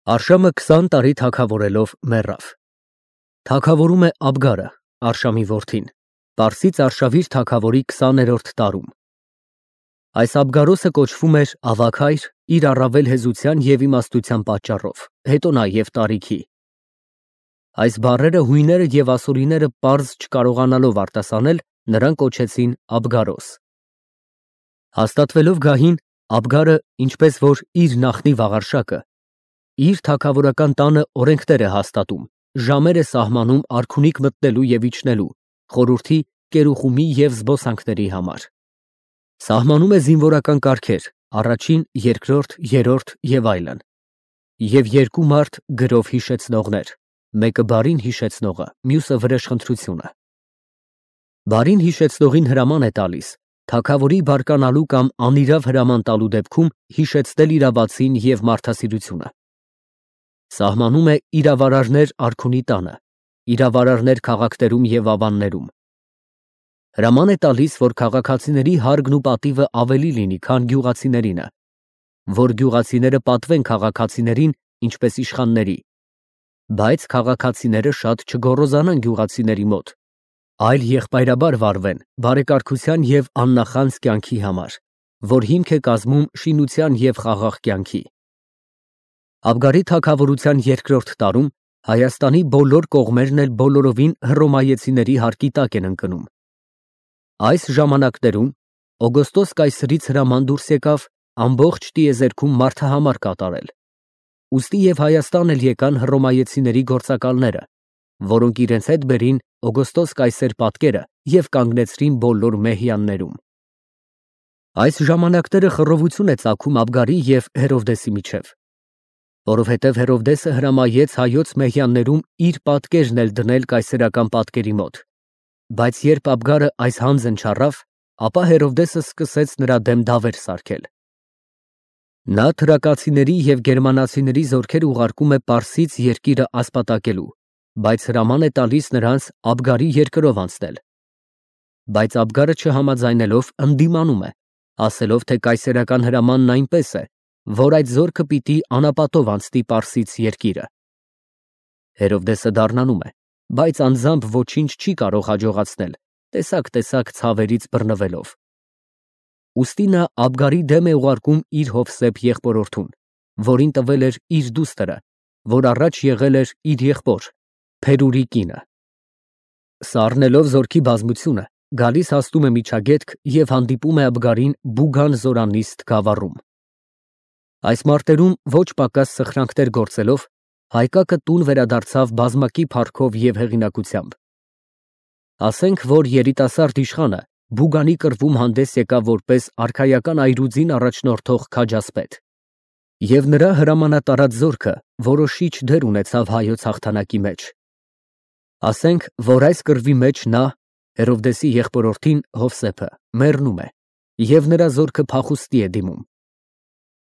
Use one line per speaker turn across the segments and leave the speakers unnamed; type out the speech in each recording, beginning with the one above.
Արշամը 20 տարի թագավորելով մեռավ։ Թագավորում է Աբգարը, Արշամի որդին, Պարսից արշավիր թագավորի 20-րդ տարում։ Այս Աբգարոսը կոչվում էր ավագ հայր իր առավել հեզության և իմաստության պատճառով, հետո նաև տարիքի։ Այս բառերը հույները և ասորիները պարզ չկարողանալով արտասանել, նրան կոչեցին Աբգարոս։ Հաստատվելով գահին, Աբգարը, ինչպես որ իր նախնի Վաղարշակը, իր թագավորական տանը օրենքներ է հաստատում, ժամեր է սահմանում արքունիք մտնելու և իջնելու, խորհրդի, կերուխումի և զբոսանքների համար։ Սահմանում է զինվորական կարգեր, առաջին, երկրորդ, երրորդ և այլն։ Եվ երկու մարդ գրով հիշեցնողներ, մեկը բարին հիշեցնողը, մյուսը վրեժխնդրությունը։ Բարին հիշեցնողին հրաման է տալիս թագավորի բարկանալու կամ անիրավ հրաման տալու դեպքում հիշեցնել իրավացին և մարդասիրությունը։ Սահմանում է իրավարարներ արքունի տանը, իրավարարներ քաղաքներում և ավաններում։ Հրաման է տալիս, որ քաղաքացիների հարգն ու պատիվը ավելի լինի, քան գյուղացիներինը, որ գյուղացիները պատվեն քաղաքացիներին, ինչպես իշխանների, բայց քաղաքացիները շատ չգոռոզանան գյուղացիների մոտ, այլ եղբայրաբար վարվեն բարեկարգության և աննախանձ կյանքի համար, որ հիմք է կազմում շինության և խաղաղ կյանքի։ Աբգարի թագավորության երկրորդ տարում Հայաստանի բոլոր կողմերն էլ բոլորովին հռոմեացիների հարկի տակ են ընկնում։ Այս ժամանակներում Օգոստոս կայսրից հրաման դուրս եկավ ամբողջ տիեզերքում մարդահամար կատարել։ Ուստի և Հայաստան էլ եկան հռոմեացիների գործակալները, որոնք իրենց հետ բերին Օգոստոս կայսեր պատկերը և կանգնեցրին բոլոր մեհյաններում։ Այս ժամանակները խռովություն է ծագում Աբգարի և Հերովդեսի միջև, որովհետև Հերովդեսը հրամայեց հայոց մեհյաններում իր պատկերն էլ դնել կայսերական պատկերի մոտ, բայց երբ Աբգարը այս հանձն չառավ, ապա Հերովդեսը սկսեց նրա դեմ դավեր սարքել։ Նա թրակացիների և գերմանացիների զորքեր ուղարկում է Պարսից երկիրը ասպատակելու, բայց հրաման է տալիս նրանց Աբգարի երկրով անցնել։ Բայց Աբգարը չհամաձայնելով ընդդիմանում է, ասելով, թե կայսերական հրամանն այնպես է, որ այդ զորքը պիտի անապատով անցնի Պարսից երկիրը։ Հերովդեսը դառնանում է, բայց անձամբ ոչինչ չի կարող հաջողացնել, տեսակ ցավերից բռնվելով։ Ուստի նա Աբգարի դեմ է ուղարկում իր հովսեփ եղբորորդուն, որին տվել էր իր դուստրը, որ առաջ եղել էր իր եղբոր Փերուրի կինը։ Սառնելով զորքի բազմությունը, գալիս հասնում է միջագետք և հանդիպում է Աբգարին Բուգան զորանիստ գավառում։ Այս մարտերում ոչ պակաս սխրանքներ գործելով, Հայկակը տուն վերադարձավ բազմակի փառքով և հեղինակությամբ։ Ասենք, որ երիտասարդ իշխանը Բուգանի կռվում հանդես եկավ որպես արքայական այրուձին առաջնորդող քաջասպետ, և նրա հրամանատարած զորքը որոշիչ դեր ունեցավ հայոց հաղթանակի մեջ։ Ասենք, որ այս կռվի մեջ նա, Հերովդեսի եղբորորդին Հովսեփը, մեռնում է, և նրա զորքը փախուստի է դիմում։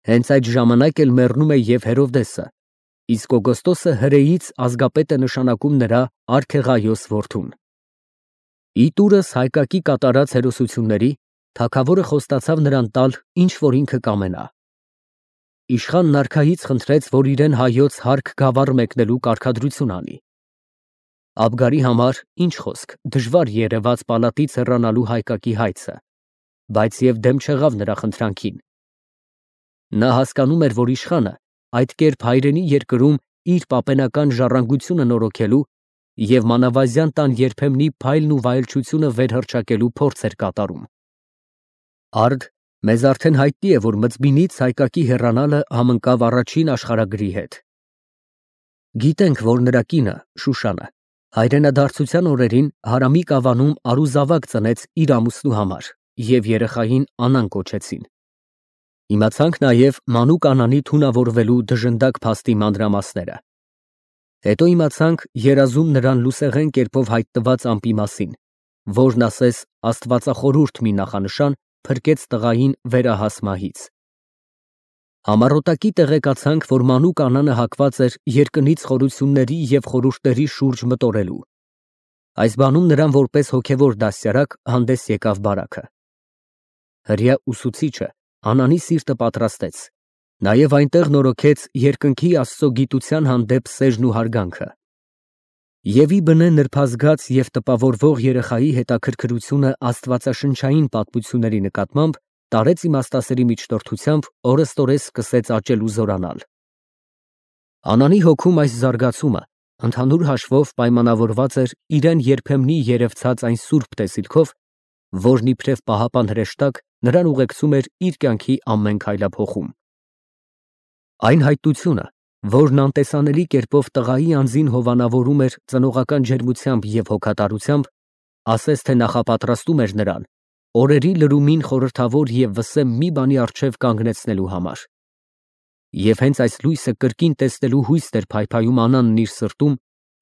Հենց այդ ժամանակ էլ մեռնում է և Հերովդեսը, իսկ Օգոստոսը հրեից ազգապետ է նշանակում նրա Արքեղայոս որդուն։ Ի տուրս Հայկակի կատարած հերոսությունների, թագավորը խոստացավ նրան տալ, ինչ որ ինքը կամենա։ Իշխանն արքայից խնդրեց, որ իրեն հայոց հարկ գավառ մեկնելու կարգադրություն անի։ Աբգարի համար, ինչ խոսք, դժվար երևաց պալատից հեռանալու Հայկակի հայցը, բայց և դեմ չեղավ նրա խնդրանքին։ Նա հասկանում էր, որ իշխանը այդ կերպ հայրենի երկրում իր պապենական ժառանգությունը նորոգելու և մանավազյան տան երբեմնի փայլն ու վայելչությունը վերհռչակելու փորձ էր կատարում։ Արդ մեզ արդեն հայտնի է, որ Մծբինից Հայկակի հեռանալը համընկավ առաջին աշխարհագրի հետ։ Գիտենք, որ նրա կինը Շուշանը հայրենադարձության օրերին Հարամի կավանում արուզավակ ծնեց իր ամուսնու համար և երեխային Անան կոչեցին։ Իմացանք նաև մանուկ Անանի թունավորվելու դժնդակ փաստի մանրամասները։ Հետո իմացանք երազում նրան լուսեղեն կերպով հայտնված ամպի մասին, որն ասես աստվածախորհուրդ մի նախանշան փրկեց տղային վերահաս մահից։ Համառոտակի տեղեկացանք, որ մանուկ Անանը հակված էր երկնից խորությունների և խորհուրդների շուրջ մտորելու։ Այս բանում նրան որպես հոգևոր դաստիարակ հանդես եկավ բարաքը։ Հրեա ուսուցիչը Անանի սիրտը պատրաստեց Նաև այնտեղ նորոգեց երկնքի Աստծո գիտության հանդեպ սերն ու հարգանքը։ Եվ ի բնե նրբազգաց և տպավորվող երեխայի հետաքրքրությունը աստվածաշնչային պատմությունների նկատմամբ տարեց իմաստասերի միջնորդությամբ օրըստօրես սկսեց աճել ու զորանալ։ Անանի հոգում այս զարգացումը ընդհանուր հաշվով պայմանավորված էր իրեն երբեմնի երևցած այն սուրբ տեսիլքով, որն իբրև պահապան հրեշտակ նրան ուղեկցում էր իր կյանքի ամեն քայլափոխում։ Այն հայտությունը, որն անտեսանելի կերպով տղայի անձին հովանավորում էր ծնողական ջերմությամբ և հոգատարությամբ, ասես թե նախապատրաստում էր նրան օրերի լրումին խորհրդավոր և վսեմ մի բանի առջև կանգնեցնելու համար։ Եվ հենց այս լույսը կրկին տեսնելու հույսն էր փայփայում Անանն իր սրտում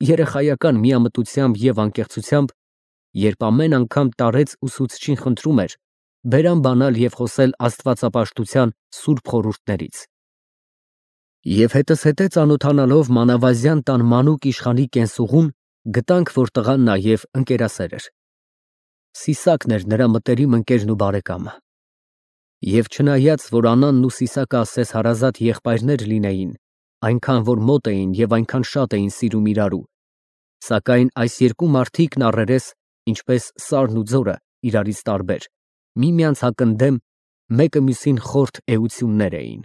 երեխայական միամտությամբ և անկեղծությամբ, երբ ամեն անգամ տարեց ուսուցչին խնդրում էր բերան բանալ և խոսել աստվածապաշտության սուրբ խորհուրդներից։ Եվ հետզհետե ծանոթանալով մանավազյան տան մանուկ իշխանի կենսուղուն, գտանք, որ տղան նաև ընկերասեր էր։ Սիսակն էր նրա մտերիմ ընկերն ու բարեկամը։ Եվ չնայած, որ Անանն ու Սիսակը ասես հարազատ եղբայրներ լինեին, այնքան որ մոտ էին և այնքան շատ էին սիրում իրարու, սակայն այս երկու մարդիկն առերես, ինչպես սարն ու ձորը, իրարից տարբեր, միմյանց հակընդդեմ, մեկը մյուսին խորթ էություններ էին։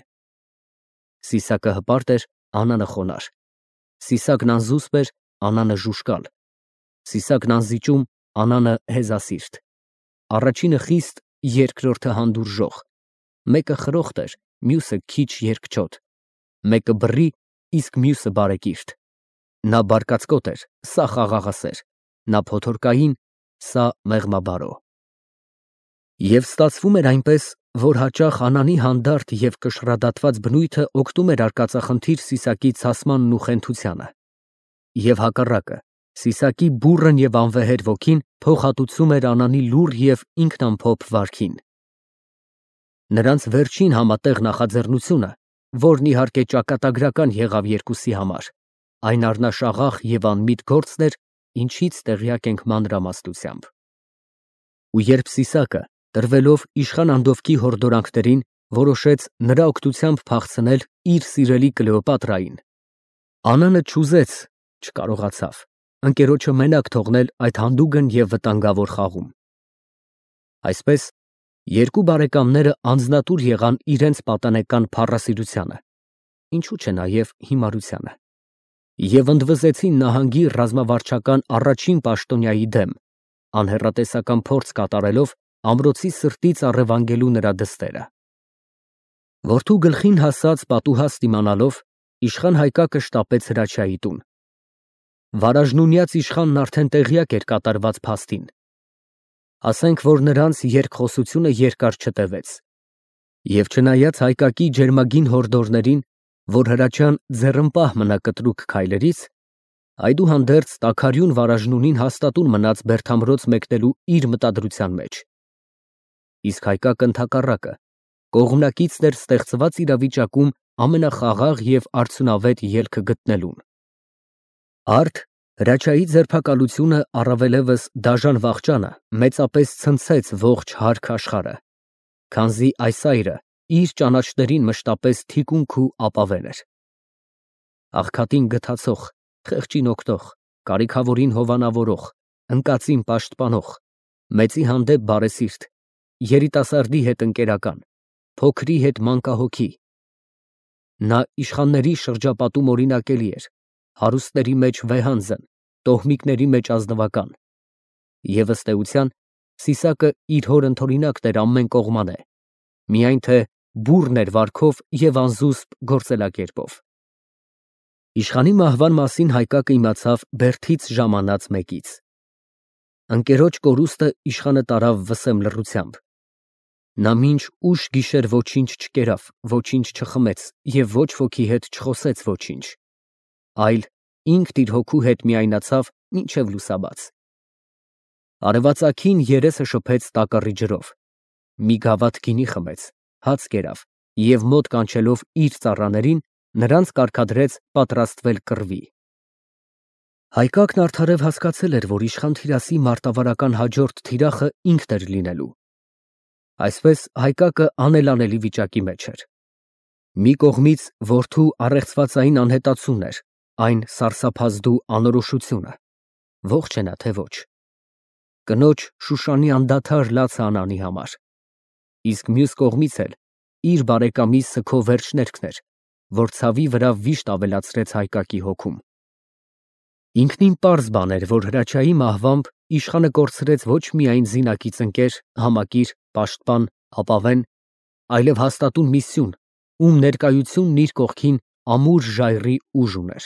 Սիսակը հպարտ էր, Անանը խոնարհ։ Սիսակն անզուսպ էր, Անանը ժուժկալ։ Սիսակն անզիջում, Անանը հեզասիրտ։ Առաջինը խիստ, երկրորդը հանդուրժող։ Մեկը խրոխտ էր, մյուսը քիչ երկչոտ։ Մեկը բռի, իսկ մյուսը բարեկիրթ։ Նա բարկացկոտ էր, սա խաղաղասեր։ Նա փոթորկային, սա մեղմաբարո։ Եվ ստացվում էր այնպես, որ հաճախ Անանի հանդարտ և կշռադատված բնույթը օգնում էր արկածախնդիր Սիսակի ցասմանն ու խենթությանը։ Եվ հակառակը, Սիսակի բուռն և անվեհեր ոգին փոխհատուցում էր Անանի լուռ և ինքնամփոփ վարքին։ Նրանց վերջին համատեղ նախաձեռնությունը, որն իհարկե ճակատագրական եղավ երկուսի համար, այն առնաշաղախ և անմիտ գործն էր, ինչից տեղյակ ենք մանրամասնությամբ։ Ու երբ Սիսակը, տրվելով իշխան Անդովկի հորդորանքներին, որոշեց նրա օգնությամբ փախցնել իր սիրելի Կլեոպատրային, Անանը չուզեց, չկարողացավ ընկերոջը մենակ թողնել այդ հանդուգն և վտանգավոր խաղում։ Այսպես, երկու բարեկամները անձնատուր եղան իրենց պատանեկան փառասիրությանը, ինչու չէ նաև հիմարությանը, և ընդվզեցին նահանգի ռազմավարչական առաջին պաշտոնյայի դեմ, անհեռատեսական փորձ կատարելով ամրոցի սրտից առևանգելու նրա դստերը։ Որդու գլխին հասած պատուհաստ իմանալով, իշխան Հայկակը շտապեց Հրաչյայի տուն։ Վարաժնունյաց իշխանն արդեն տեղյակ էր կատարված փաստին։ Ասենք, որ նրանց երկխոսությունը երկար չտևեց։ Եվ չնայած Հայկակի ջերմագին հորդորներին, որ Հրաչյան ձեռնպահ մնա կտրուկ քայլերից, այդուհանդերձ տաքարյուն վարաժնունին հաստատուն մնաց Բերդամրոց մեկնելու իր մտադրության մեջ։ Իսկ Հայկակը ընդհակառակը, կողմնակիցն էր ստեղծված իրավիճակում ամենախաղաղ և արդյունավետ ելքը գտնելուն։ Արդ Հրաչյայի ձերբակալությունը առավելևս դաժան վախճանը մեծապես ցնցեց ողջ հարգ աշխարհը, քանզի այս այրը իր ճանաչներին մշտապես թիկունք ու ապավեն էր։ Աղքատին գթացող, խեղճին օգնող, կարիքավորին հովանավորող, ընկածին պաշտպանող, մեծի հանդեպ բարեսիրտ, երիտասարդի հետ ընկերական, փոքրի հետ մանկահոգի։ Նա իշխանների շրջապատում օրինակելի էր, հարուստների մեջ վեհանձն, տոհմիկների մեջ ազնվական։ Եվ ըստ էության, Սիսակը իր հոր ընդօրինակն էր ամեն կողմանե, միայն թե բուռն էր վարքով և անզուսպ գործելակերպով։ Իշխանի մահվան մասին Հայկակը իմացավ Բերդից ժամանած մեկից։ Ընկերոջ կորուստը իշխանը տարավ վսեմ լռությամբ։ Նա մինչ ուշ գիշեր ոչինչ չկերավ, ոչինչ չխմեց և ոչ ոքի հետ չխոսեց ոչինչ, այլ ինքն իր հոգու հետ միայնացավ մինչև լուսաբաց։ Արևածագին երեսը շփեց տակառի ջրով, մի գավաթ գինի խմեց, հաց կերավ և մոտ կանչելով իր ծառաներին, նրանց կարգադրեց պատրաստվել կռվի։ Հայկակն արդարև հասկացել էր, որ իշխան Թիրասի մարտավարական հաջորդ թիրախը ինքն էր լինելու։ Այսպես Հայկակը անելանելի վիճակի մեջ էր։ Մի կողմից որդու առեղծվածային անհետացումն էր, այն սարսափազդու անորոշությունը, ողջ է նա թե ոչ, կնոջ Շուշանի անդադար լացը Անանի համար, իսկ մյուս կողմից էլ իր բարեկամի սգո վերջներքն էր, որ ցավի վրա վիշտ ավելացրեց Հայկակի հոգում։ Ինքնին պարզ բան էր, որ Հրաչյայի մահվամբ իշխանը կորցրեց ոչ միայն զինակից ընկեր, համակիր, պաշտպան, ապավեն, այլև հաստատուն մի սյուն, ում ներկայությունն իր կողքին ամուր ժայռի ուժ ուներ։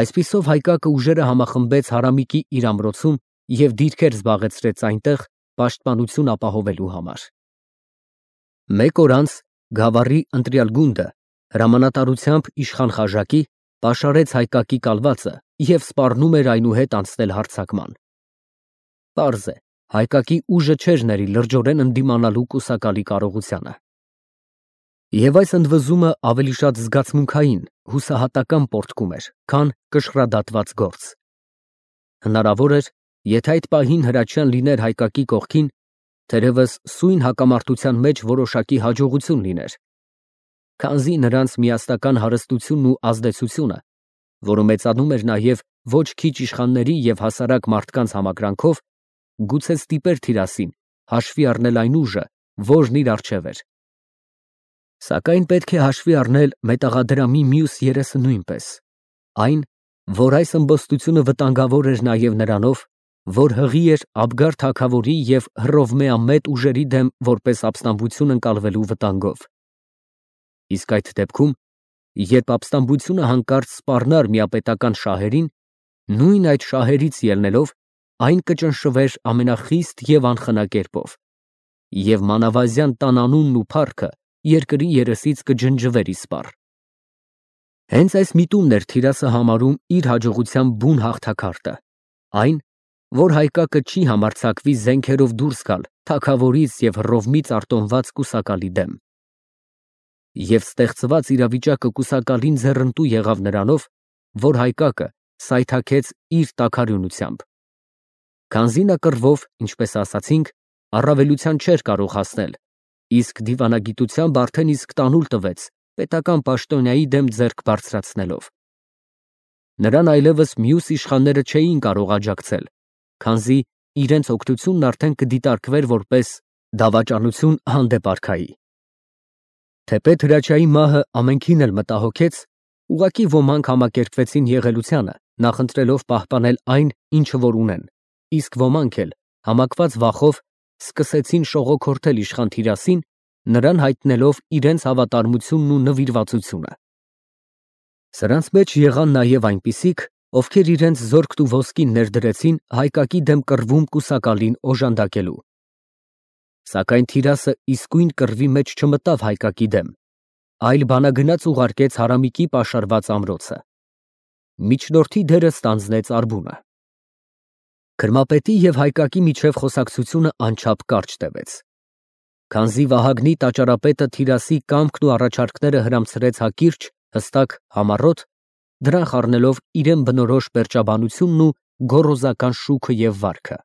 Այսպիսով Հայկակը ուժերը համախմբեց Հարամիկի իր ամրոցում և դիրքեր զբաղեցրեց այնտեղ պաշտպանություն ապահովելու համար։ Մեկ օր անց Գավառի ընտրյալ գունդը հրամանատարությամբ իշխան Խաժակի պաշարեց Հայկակի կալվածը և սպառնում էր այնուհետ անցնել հարձակման։ Պարզ է, Հայկակի ուժը չէր ների լրջորեն ընդդիմանալու կուսակալի կարողությանը։ Եվ այս ընդվզումը ավելի շատ զգացմունքային, հուսահատական պոռթկում էր, քան կշռադատված գործ։ Հնարավոր էր, եթե այդ պահին Հրաչյան լիներ Հայկակի կողքին, թերևս սույն հակամարտության մեջ որոշակի հաջողություն լիներ, քանզի նրանց միասնական հարստությունն ու ազդեցությունը, որը մեծանում էր նաև ոչ քիչ իշխանների և հասարակ մարդկանց համակրանքով, գուցե ստիպեր Թիրասին հաշվի առնել այն ուժը, որն իր առջև էր։ Սակայն պետք է հաշվի առնել մետաղադրամի մյուս երեսը նույնպես, այն, որ այս ըմբոստությունը վտանգավոր էր նաև նրանով, որ հղի էր Աբգար թագավորի և Հռովմեամետ ուժերի դեմ որպես ապստամբություն ընկալվելու վտանգով։ Իսկ այդ դեպքում, երբ ապստամբությունը հանկարծ սպառնար միապետական շահերին, նույն այդ շահերից ելնելով, այն կճնշվեր ամենախիստ և անխնա կերպով, և մանավազյան տան անունն ու փառքը երկրի երեսից կջնջվեր իսպառ։ Հենց այս միտումն էր Թիրասը համարում իր հաջողության բուն հաղթաքարտը, այն, որ Հայկակը չի համարձակվի զենքերով դուրս գալ թագավորից և Հռովմից արտոնված կուսակալի դեմ։ Եվ ստեղծված իրավիճակը կուսակալին ձեռնտու եղավ նրանով, որ Հայկակը սայթաքեց իր տաքարյունությամբ։ Քանզի նա կռվով, ինչպես ասացինք, առավելության չէր կարող հասնել, իսկ դիվանագիտությամբ արդեն իսկ տանուլ տվեց պետական պաշտոնյայի դեմ ձեռք բարձրացնելով։ Նրան այլևս մյուս իշխանները չէին կարող աջակցել, քանզի իրենց օգնությունն արդեն կդիտարկվեր որպես դավաճանություն հանդեպ արքայի։ Թեպետ Հրաչյայի մահը ամենքին էլ մտահոգեց, ուղղակի ոմանք համակերպվեցին եղելությանը, նախընտրելով պահպանել այն, ինչը որ ունեն, իսկ ոմանք էլ, համակված վախով, սկսեցին շողոքորթել իշխան Թիրասին, նրան հայտնելով իրենց հավատարմությունն ու նվիրվածությունը։ Սրանց մեջ եղան նաև այնպիսիք, ովքեր իրենց զորքն ու ոսկին ներդրեցին Հայկակի դեմ կռվում կուսակալին օժանդակելու։ Սակայն Թիրասը իսկույն կռվի մեջ չմտավ Հայկակի դեմ, այլ բանագնաց ուղարկեց Հարամիկի պաշարված ամրոցը։ Միջնորդի դերը ստանձնեց Արբունը։ Քրմապետի և Հայկակի միջև խոսակցությունը անչափ կարճ տևեց։ Քանզի Վահագնի տաճարապետը Թիրասի կամքն ու առաջարկները հրամցրեց հակիրճ, հստակ, համառոտ, դրան խառնելով իրեն բնորոշ պերճաբանությունն ու գոռոզական շուքը և վարքը։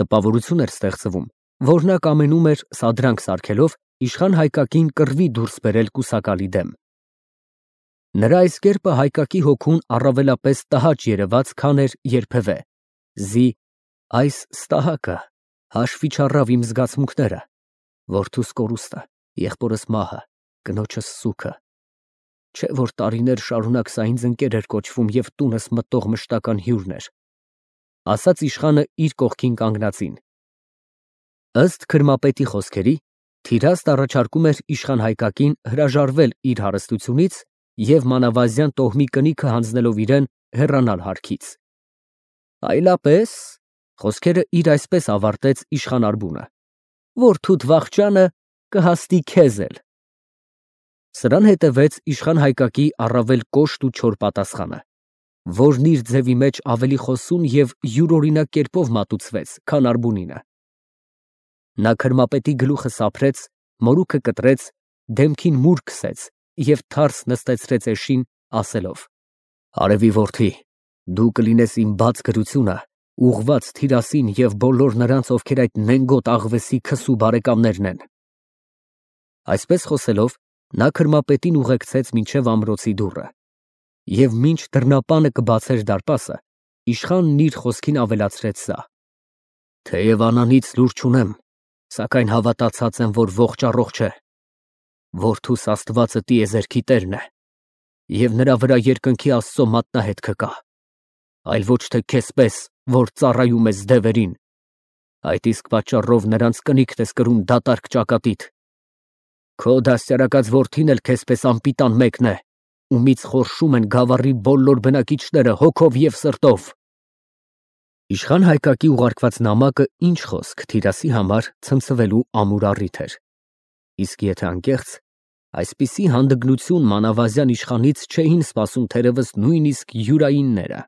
Տպավորություն էր ստեղծվում, որ նա կամենում էր սադրանք սարքելով իշխան Հայկակին կռվի դուրս բերել կուսակալի դեմ։ Նրա այս կերպը Հայկակի հոգուն առավելապես տհաճ երևաց, քան էր երբևէ, զի այս ստահակը հաշվի չառավ իմ զգացմունքները, որդուս կորուստը, եղբորս մահը, կնոջս սուգը, չէ որ տարիներ շարունակ սա ինձ ընկեր էր կոչվում և տունս մտող մշտական հյուրն էր, ասաց իշխանը իր կողքին կանգնածին։ Ըստ քրմապետի խոսքերի, Թիրասն առաջարկում էր իշխան Հայկակին հրաժարվել իր հարստությունից և մանավազյան տոհմի կնիքը հանձնելով իրեն հեռանալ հարքից։ Այլապես, խոսքերը իր այսպես ավարտեց իշխան Արբունը, որդուդ վախճանը կհաստի քեզ էլ։ Սրան հետևեց իշխան Հայկակի առավել կոշտ ու չոր պատասխանը, որն իր ձևի մեջ ավելի խոսուն և յուրօրինակ կերպով մատուցվեց, քան Արբունինը։ Նա քրմապետի գլուխը սափրեց, մորուքը կտրեց, դեմքին մուր քսեց և թարս նստեցրեց էշին, ասելով. «Արևի որդի, դու կլինես իմ բաց գրությունը, ուղղված Թիրասին և բոլոր նրանց, ովքեր այդ նենգոտ աղվեսի քսու բարեկամներն են»։ Այսպես խոսելով, նա քրմապետին ուղեկցեց մինչև ամրոցի դուռը, և մինչ դռնապանը կբացեր դարպասը, իշխանն իր խոսքին ավելացրեց սա. «Թեև Անանից լուր չունեմ, սակայն հավատացած եմ, որ ողջ առողջ է։ Որդուս Աստվածը տիեզերքի տերն է, և նրա վրա երկնքի Աստծո մատնահետքը կա, այլ ոչ թե քեզ պես, որ ծառայում ես դևերին, այդ իսկ պատճառով նրանց կնիկդ ես կրում դատարկ ճակատիդ։ Քո դաստիարակած որդին էլ քեզ պես անպիտան մեկն է, ումից խորշում են գավառի բոլոր բնակիչները հոգով և սրտով»։ Իշխան Հայկակի ուղարկված նամակը ինչ խոսք Թիրասի համար ցնցվելու ամուր առիթ էր, իսկ եթե անկեղծ, այսպիսի հանդգնություն մանավազյան իշխանից չէին սպասում թերևս նույնիսկ յուրայինները։